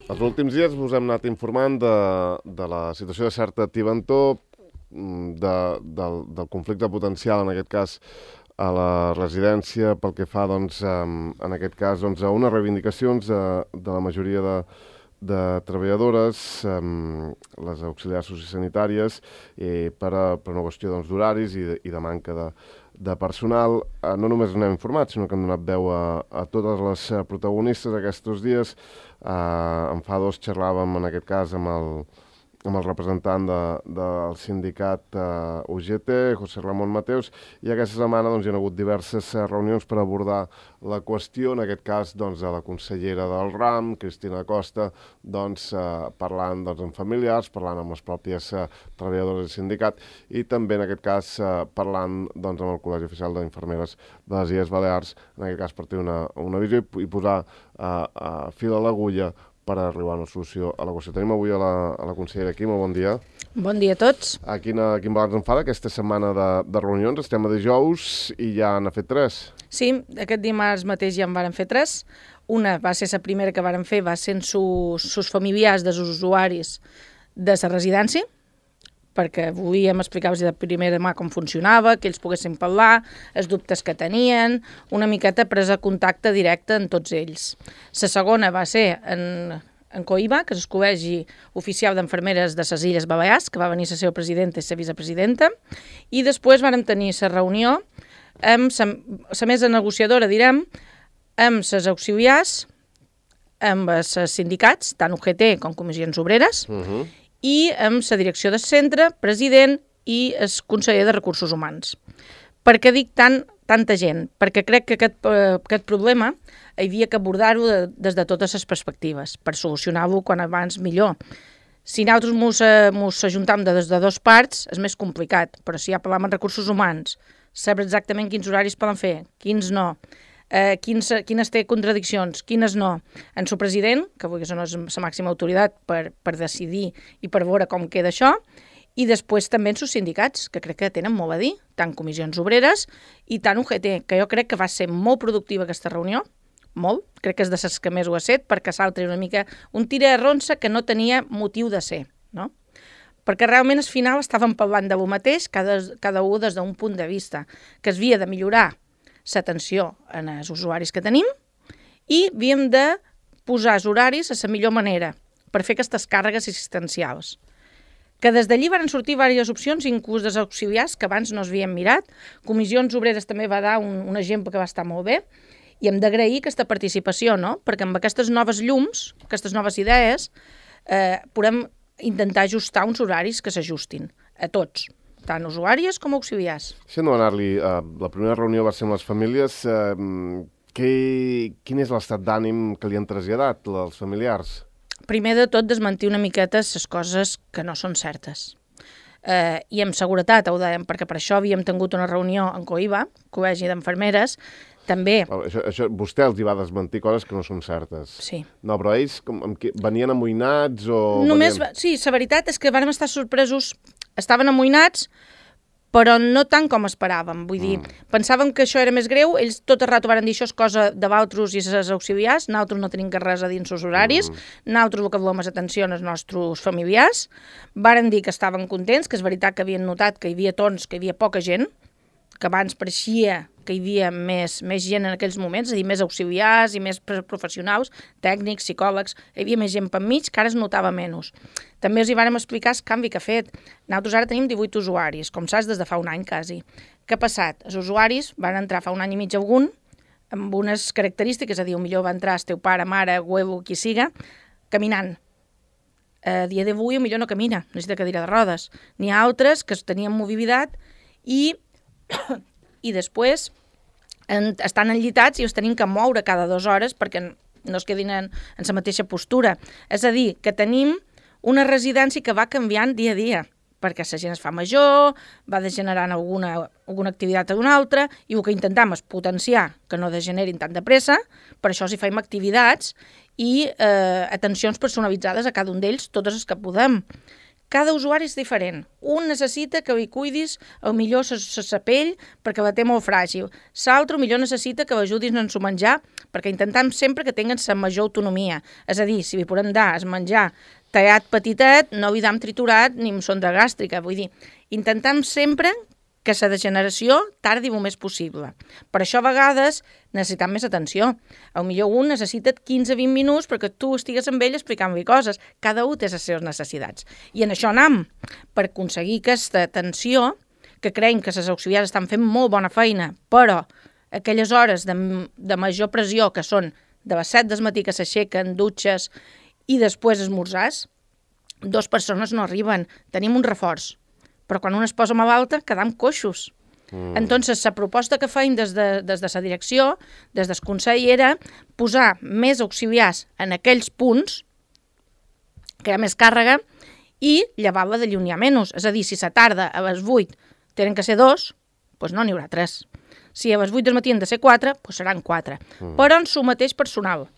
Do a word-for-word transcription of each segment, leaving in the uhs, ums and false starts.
Els últims dies us hem anat informant de, de la situació de certa tibantó, de, del, del conflicte potencial, en aquest cas, a la residència, pel que fa, doncs, en aquest cas, doncs, a unes reivindicacions de, de la majoria de, de treballadores, les auxiliars sociosanitàries, eh, per, a, per una qüestió doncs, d'horaris i, de, i de manca de, de personal. Eh, no només n'hem informat, sinó que hem donat veu a, a totes les protagonistes aquests dies. Eh, en fa dos xerràvem, en aquest cas, amb el, amb el representant de, del sindicat uh, U G T, José Ramón Mateos, i aquesta setmana doncs, hi ha hagut diverses uh, reunions per abordar la qüestió, en aquest cas doncs, a la consellera del RAM, Cristina Costa, doncs, uh, parlant doncs, amb familiars, parlant amb les pròpies uh, treballadores del sindicat i també en aquest cas uh, parlant doncs, amb el Col·legi Oficial d'Infermeres de les Illes Balears, en aquest cas per tenir una, una visió i, i posar uh, uh, fil a l'agulla per arribar a una solució a la qüestió. Tenim avui a la, a la consellera aquí, molt bon dia. Bon dia a tots. A quina, quin balanç en fa d'aquesta setmana de, de reunions? Estem a dijous i ja n'ha fet tres. Sí, aquest dimarts mateix ja en varen fer tres. Una va ser la primera que varen fer, va ser en sus, sus familiars dels usuaris de la residència, perquè volíem explicar-vos de primera mà com funcionava, que ells poguessin parlar, els dubtes que tenien, una miqueta presa contacte directe en tots ells. La segona va ser en, en Coiba, que és el Col·legi Oficial d'Infermeres de les Illes Balears, que va venir la seva presidenta i la vicepresidenta, i després vam tenir la reunió amb la mesa negociadora, direm, amb les auxiliars, amb els sindicats, tant U G T com Comissions Obreres, uh-huh. i amb la direcció del centre, president i el conseller de Recursos Humans. Per què dic tant, tanta gent? Perquè crec que aquest, eh, aquest problema hi havia que abordar-ho de, des de totes les perspectives, per solucionar-ho quan abans millor. Si nosaltres mos, eh, mos ajuntam de des de dos parts, és més complicat, però si ja parlam en recursos humans, saber exactament quins horaris poden fer, quins no, Eh, quins, quines té contradiccions, quines no. En su president, que avui no és la màxima autoritat per, per decidir i per veure com queda això, i després també en sus sindicats, que crec que tenen molt a dir, tant comissions obreres i tant U G T, que jo crec que va ser molt productiva aquesta reunió, molt, crec que és de les que més ho ha set, perquè s'altre una mica un tira de ronça que no tenia motiu de ser, no? Perquè realment al final estàvem parlant de lo mateix, cada, cada un des d'un punt de vista, que es havia de millorar l'atenció als usuaris que tenim i havíem de posar els horaris a la millor manera per fer aquestes càrregues assistencials. Que des d'allí van sortir diverses opcions, inclús dels auxiliars, que abans no s'havien mirat. Comissions Obreres també va dar un, un exemple que va estar molt bé i hem d'agrair aquesta participació, no? Perquè amb aquestes noves llums, aquestes noves idees, eh, podem intentar ajustar uns horaris que s'ajustin a tots, tant usuàries com auxiliars. Si hem d'anar-li, uh, la primera reunió va ser amb les famílies. Uh, que, quin és l'estat d'ànim que li han traslladat els familiars? Primer de tot, desmentir una miqueta les coses que no són certes. Uh, I amb seguretat, ho dèiem, perquè per això havíem tingut una reunió en Coiba, Col·legi d'Infermeres, també... Això, això, vostè els hi va desmentir coses que no són certes. Sí. No, però ells com, amb qui, venien amoïnats o... Només, venien... sí, la veritat és que vam estar sorpresos, estaven amoïnats, però no tant com esperàvem. Vull dir, mm. pensàvem que això era més greu, ells tot el rato van dir això és cosa de vosaltres i els auxiliars, nosaltres no tenim res a dir en els horaris, mm. nosaltres el que volem és atenció als nostres familiars, varen dir que estaven contents, que és veritat que havien notat que hi havia torns, que hi havia poca gent, que abans pareixia que hi havia més, més gent en aquells moments, és a dir, més auxiliars i més professionals, tècnics, psicòlegs, hi havia més gent per mig, que ara es notava menys. També els hi vàrem explicar el canvi que ha fet. Nosaltres ara tenim divuit usuaris, com saps, des de fa un any quasi. Què ha passat? Els usuaris van entrar fa un any i mig algun, amb unes característiques, és a dir, millor va entrar el teu pare, mare, huevo, qui siga, caminant. A dia d'avui millor no camina, necessita cadira de rodes. N'hi ha altres que tenien mobilitat i i després en, estan enllitats i els tenim que moure cada dues hores perquè no es quedin en, en la mateixa postura. És a dir, que tenim una residència que va canviant dia a dia, perquè la gent es fa major, va degenerant alguna, alguna activitat a una altra, i el que intentem és potenciar que no degenerin tant de pressa, per això si fem activitats i eh, atencions personalitzades a cada un d'ells, totes les que podem. cada usuari és diferent. Un necessita que li cuidis el millor la pell perquè la té molt fràgil. L'altre millor necessita que l'ajudis en su menjar perquè intentem sempre que tinguin la major autonomia. És a dir, si li podem dar el menjar tallat petitet, no li dam triturat ni amb sonda gàstrica. Vull dir, intentem sempre que la degeneració tardi el més possible. Per això a vegades necessitem més atenció. A millor un necessita quinze a vint minuts perquè tu estigues amb ell explicant-li coses. Cada un té les seves necessitats. I en això anem, per aconseguir aquesta atenció, que creiem que les auxiliars estan fent molt bona feina, però aquelles hores de, de major pressió, que són de les set del matí que s'aixequen, dutxes, i després esmorzars, dues persones no arriben. Tenim un reforç. Però quan un es posa malalta, quedam coixos. Mm. Entonces, la proposta que feim des de, des de la direcció, des del Consell, era posar més auxiliars en aquells punts, que hi ha més càrrega, i llevar-la de lluny a menys. És a dir, si la tarda a les vuit tenen que ser dos, doncs no n'hi haurà tres. Si a les vuit del matí han de ser quatre, doncs seran quatre. Mm. Però en su mateix personal.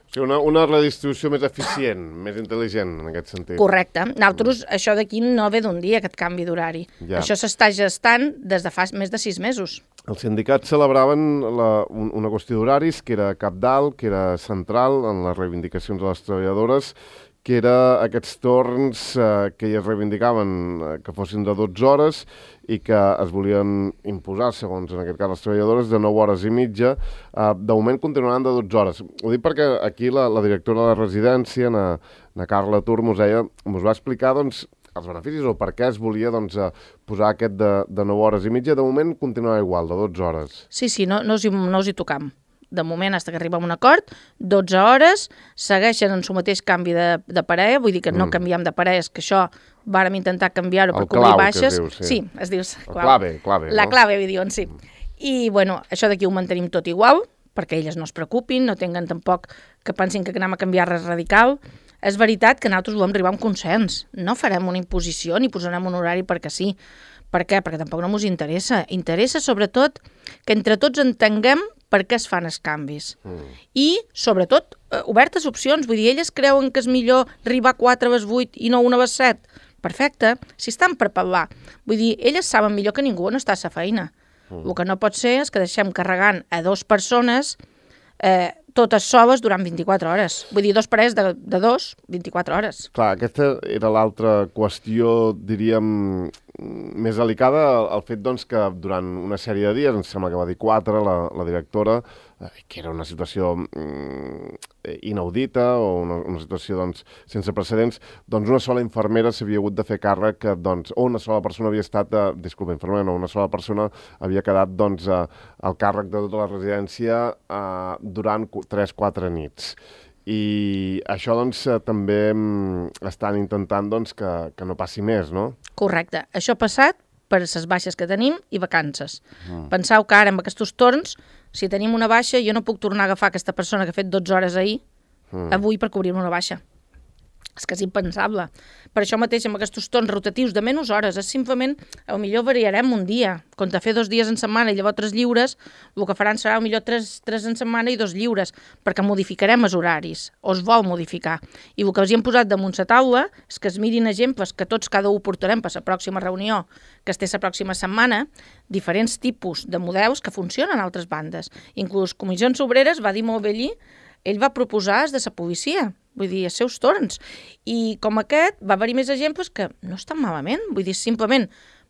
O sigui, una, una redistribució més eficient, més intel·ligent, en aquest sentit. Correcte. Nosaltres, mm. això d'aquí no ve d'un dia, aquest canvi d'horari. Ja. Això s'està gestant des de fa més de sis mesos. Els sindicats celebraven la, un, una qüestió d'horaris que era cabdal, que era central en les reivindicacions de les treballadores, que era aquests torns eh, que elles reivindicaven eh, que fossin de dotze hores i que es volien imposar, segons en aquest cas les treballadores, de nou hores i mitja. Eh, de moment continuaran de dotze hores. Ho dic perquè aquí la, la directora de la residència, na, na Carla Tur, mos, deia, mos va explicar doncs, els beneficis o per què es volia doncs, posar aquest de, de nou hores i mitja. De moment continuarà igual, de dotze hores. Sí, sí, no, no, us, hi, no us hi tocam. De moment, fins que arribem a un acord, dotze hores, segueixen en su mateix canvi de, de parella, vull dir que no mm. canviem de parelles, que això vàrem intentar canviar-ho per cobrir baixes. El clau, que es diu, sí. Sí, es diu... El clave, clave. La no? clave, li diuen, sí. I, bueno, això d'aquí ho mantenim tot igual, perquè elles no es preocupin, no tinguen tampoc que pensin que anem a canviar res radical. És veritat que nosaltres volem arribar a un consens. No farem una imposició ni posarem un horari perquè sí. Per què? Perquè tampoc no ens interessa. Interessa, sobretot, que entre tots entenguem per què es fan els canvis. Mm. I, sobretot, eh, obertes opcions. Vull dir, elles creuen que és millor arribar a quatre a les vuit i no una a les set. Perfecte. Si estan per parlar. Vull dir, elles saben millor que ningú on està a la feina. Mm. El que no pot ser és que deixem carregant a dues persones eh, totes soles durant vint-i-quatre hores. Vull dir, dos parells de, de dos, vint-i-quatre hores. Clar, aquesta era l'altra qüestió, diríem, més delicada, el fet doncs, que durant una sèrie de dies, em sembla que va dir quatre, la, la directora, eh, que era una situació mm, inaudita o una, una situació doncs, sense precedents, doncs una sola infermera s'havia hagut de fer càrrec, que, doncs, o una sola persona havia estat, eh, disculpa, infermera, no, una sola persona havia quedat doncs, eh, al càrrec de tota la residència eh, durant tres quatre nits. I això doncs, també estan intentant doncs, que, que no passi més, no? Correcte. Això ha passat per les baixes que tenim i vacances. Mm. Penseu que ara, amb aquests torns, si tenim una baixa, jo no puc tornar a agafar aquesta persona que ha fet dotze hores ahir, mm. avui per cobrir una baixa. És que és impensable. Per això mateix, amb aquests torns rotatius de menys hores, és simplement, potser variarem un dia. Quan te fer dos dies en setmana i llavors tres lliures, el que faran serà potser tres, tres en setmana i dos lliures, perquè modificarem els horaris, o es vol modificar. I el que els hi hem posat damunt la taula és que es mirin exemples que tots cada un portarem per la pròxima reunió, que es té la pròxima setmana, diferents tipus de models que funcionen a altres bandes. Inclús Comissions Obreres va dir molt bé allí, ell va proposar des de la policia, vull dir, els seus torns. I com aquest va haver-hi més exemples que no estan malament. Vull dir, simplement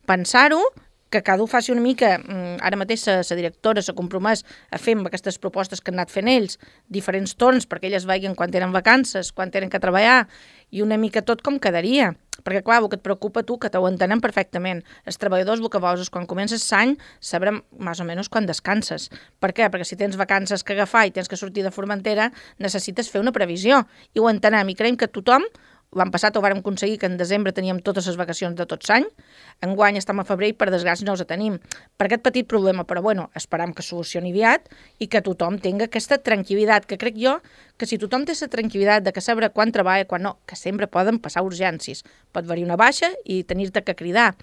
pensar-ho, que cada un faci una mica, ara mateix la directora s'ha compromès a fer amb aquestes propostes que han anat fent ells, diferents torns perquè elles vegin quan tenen vacances, quan tenen que treballar, i una mica tot com quedaria. Perquè, clar, el que et preocupa tu, que t'ho entenem perfectament. Els treballadors el que vols és quan comences l'any sabrem més o menys quan descanses. Per què? Perquè si tens vacances que agafar i tens que sortir de Formentera, necessites fer una previsió. I ho entenem, i creiem que tothom, l'any passat ho vàrem aconseguir que en desembre teníem totes les vacacions de tot l'any, enguany estem a febrer i per desgràcia no els tenim. Per aquest petit problema, però bueno, esperam que solucioni aviat i que tothom tingui aquesta tranquil·litat, que crec jo que si tothom té la tranquil·litat de que sabrà quan treballa, quan no, que sempre poden passar urgències. Pot haver-hi una baixa i tenir-te que cridar.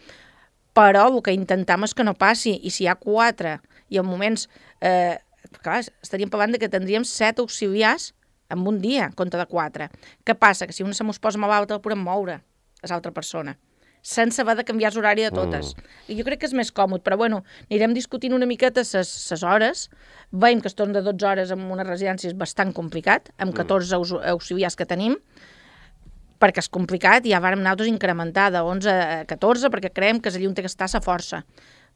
Però el que intentem és que no passi, i si hi ha quatre i en moments, eh, clar, estaríem parlant de que tindríem set auxiliars en un dia, en compte de quatre. Què passa? Que si una se mos posa malalta el podem moure. a l'altra persona, sense haver de canviar l'horari de totes. Mm. I jo crec que és més còmode, però bueno, anirem discutint una miqueta les hores. Veiem que es torna de dotze hores en una residència és bastant complicat, amb catorze mm. auxiliars que tenim, perquè és complicat i ja vàrem nosaltres incrementar de onze a catorze perquè creiem que és allà on té que estar la força.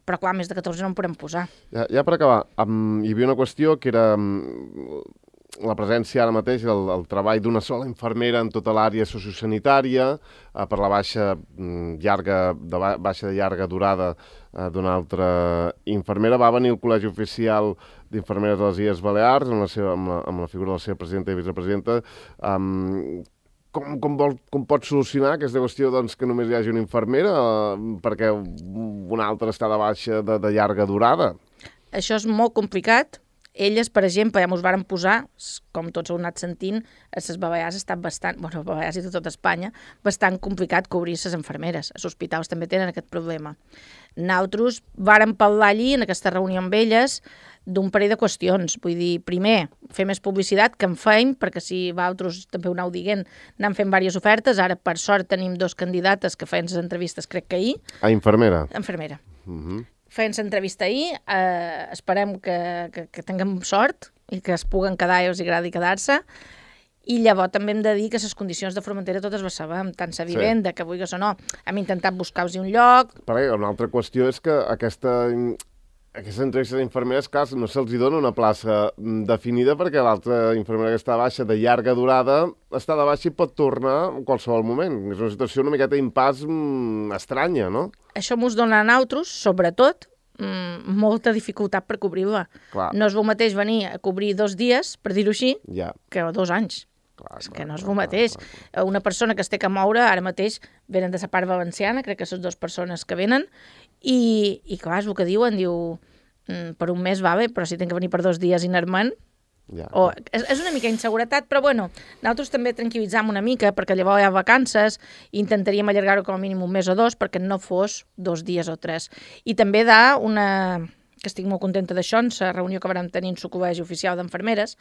Però clar, més de catorze no en podem posar. Ja, ja per acabar, um, hi havia una qüestió que era um, la presència ara mateix, el, el treball d'una sola infermera en tota l'àrea sociosanitària, uh, per la baixa, um, llarga, de ba baixa de llarga durada uh, d'una altra infermera. Va venir el Col·legi Oficial d'Infermeres de les Illes Balears, amb la, seva, amb, la, amb la figura de la seva presidenta i vicepresidenta. Um, Com, com, vol, com pot solucionar aquesta qüestió doncs, que només hi hagi una infermera eh, perquè una altra està de baixa de, de llarga durada? Això és molt complicat. Elles, per exemple, ja mos varen posar, com tots heu anat sentint, a les Balears ha estat bastant, bueno, a Balears i tot Espanya, bastant complicat cobrir les infermeres. Els hospitals també tenen aquest problema. Nosaltres vàrem parlar allí, en aquesta reunió amb elles, d'un parell de qüestions. Vull dir, primer, fer més publicitat, que en feim, perquè si vosaltres també ho aneu dient, anem fent diverses ofertes. Ara, per sort, tenim dos candidates que feien les entrevistes, crec que ahir. A infermera? Infermera. Uh -huh. Feien l'entrevista ahir, eh, esperem que, que, que tinguem sort i que es puguen quedar i els agradi quedar-se. I llavors també hem de dir que les condicions de Formentera totes les sabem, tant la vivenda, sí. que vulguis o no. Hem intentat buscar-los un lloc. Perquè una altra qüestió és que aquesta... Aquestes entrevistes d'infermeres, clar, no se'ls dona una plaça definida perquè l'altra infermera que està baixa de llarga durada està de baixa i pot tornar en qualsevol moment. És una situació una miqueta d'impàs mm, estranya, no? Això mos dona a nosaltres, sobretot, mm, molta dificultat per cobrir-la. No és el mateix venir a cobrir dos dies, per dir-ho així, ja. que dos anys. Clar, és clar, que no és el mateix. Clar, clar, clar. Una persona que es té que moure, ara mateix venen de la part valenciana, crec que són dues persones que venen, i, i clar, és el que diuen, diu, mm, per un mes va bé, però si tinc que venir per dos dies inerment, ja. o, és, és una mica inseguretat, però bueno, nosaltres també tranquil·litzam una mica, perquè llavors hi ha vacances, i intentaríem allargar-ho com a mínim un mes o dos, perquè no fos dos dies o tres. I també da una... que estic molt contenta d'això, en la reunió que vam tenir en el Col·legi Oficial d'Infermeres,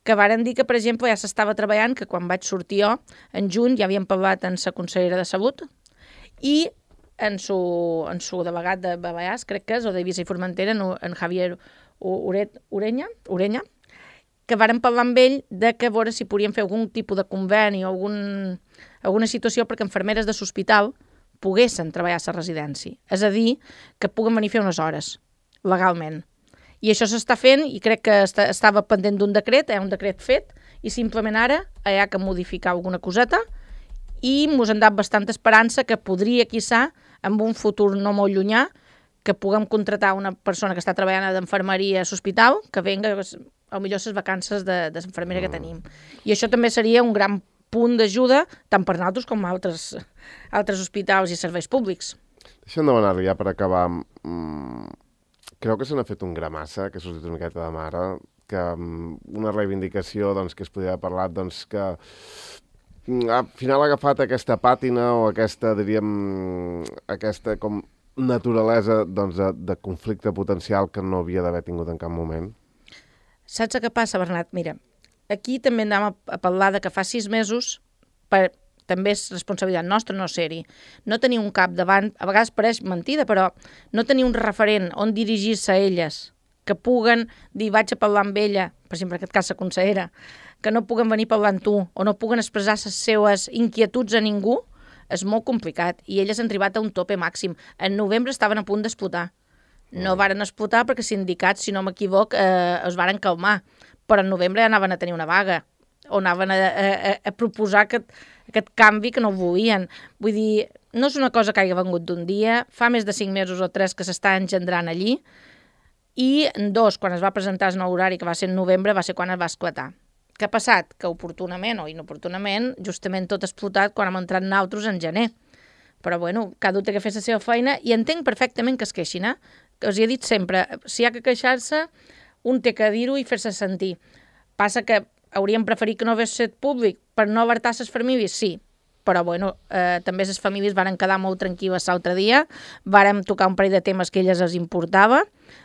que varen dir que, per exemple, ja s'estava treballant, que quan vaig sortir jo, en juny, ja havíem parlat amb la consellera de Salut, i en su, en su delegat de Balears, crec que és, o d'Eivissa i Formentera, en, en Javier Uret, Urenya, Urenya, que varen parlar amb ell de que a veure si podien fer algun tipus de conveni o algun, alguna situació perquè infermeres de l'hospital poguessin treballar a la residència. És a dir, que puguen venir a fer unes hores, legalment. I això s'està fent i crec que està, estava pendent d'un decret, hi ha un decret fet, i simplement ara hi ha que modificar alguna coseta i mos han dat bastanta esperança que podria, quizà, en un futur no molt llunyà, que puguem contratar una persona que està treballant d'enfermeria a l'hospital, que venga, a millor les vacances de, de l'infermera que tenim. I això també seria un gran punt d'ajuda, tant per nosaltres com altres, altres hospitals i serveis públics. Deixa'm demanar-li ja per acabar. Mm, creu que se n'ha fet un gramassa, que ha sortit una miqueta de mare, que una reivindicació doncs, que es podria haver parlat, doncs, que al final ha agafat aquesta pàtina o aquesta, diríem, aquesta com naturalesa doncs, de, de conflicte potencial que no havia d'haver tingut en cap moment? Saps què passa, Bernat? Mira, aquí també anem a parlar de que fa sis mesos, per, també és responsabilitat nostra no ser-hi, no tenir un cap davant, a vegades pareix mentida, però no tenir un referent on dirigir-se a elles, que puguen dir vaig a parlar amb ella, per exemple en aquest cas la consellera, que no puguen venir a parlar amb tu o no puguen expressar les seves inquietuds a ningú, és molt complicat. I elles han arribat a un tope màxim. En novembre estaven a punt d'explotar. No varen explotar perquè els sindicats, si no m'equivoc, eh, es varen calmar. Però en novembre ja anaven a tenir una vaga o anaven a, a, a proposar aquest, aquest canvi que no volien. Vull dir, no és una cosa que hagi vengut d'un dia, fa més de cinc mesos o tres que s'està engendrant allí, i dos, quan es va presentar el nou horari, que va ser en novembre, va ser quan es va esclatar. Què ha passat? Que oportunament o inoportunament, justament tot ha explotat quan hem entrat nosaltres en gener. Però, bueno, cada un té que fer la seva feina i entenc perfectament que es queixin, eh? Que us he dit sempre, si hi ha que queixar-se, un té que dir-ho i fer-se sentir. Passa que hauríem preferit que no hagués set públic per no alertar les famílies, sí, però, bueno, eh, també les famílies varen quedar molt tranquil·les l'altre dia, vàrem tocar un parell de temes que a elles els importava,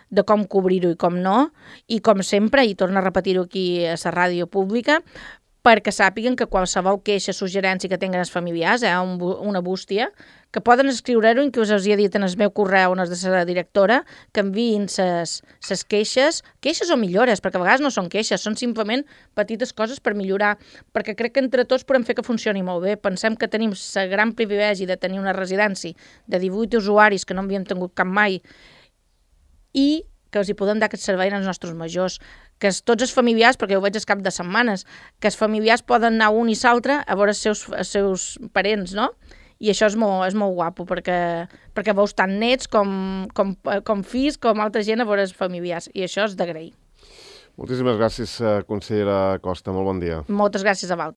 de com cobrir-ho i com no, i com sempre, i torno a repetir-ho aquí a la ràdio pública, perquè sàpiguen que qualsevol queixa, suggerència que tinguen els familiars, eh, un, una bústia, que poden escriure-ho, inclús us hi he dit en el meu correu, on és de la directora, que enviïn les queixes, queixes o millores, perquè a vegades no són queixes, són simplement petites coses per millorar, perquè crec que entre tots podem fer que funcioni molt bé. Pensem que tenim el gran privilegi de tenir una residència de divuit usuaris que no havíem tingut cap mai i que els hi podem dar aquest servei als nostres majors, que tots els familiars, perquè ho veig al cap de setmanes, que els familiars poden anar un i l'altre a veure els seus, els seus parents, no? I això és molt, és molt guapo, perquè, perquè veus tant nets com, com, com fills, com altra gent a veure els familiars, i això és d'agrair. Moltíssimes gràcies, consellera Costa, molt bon dia. Moltes gràcies a vosaltres.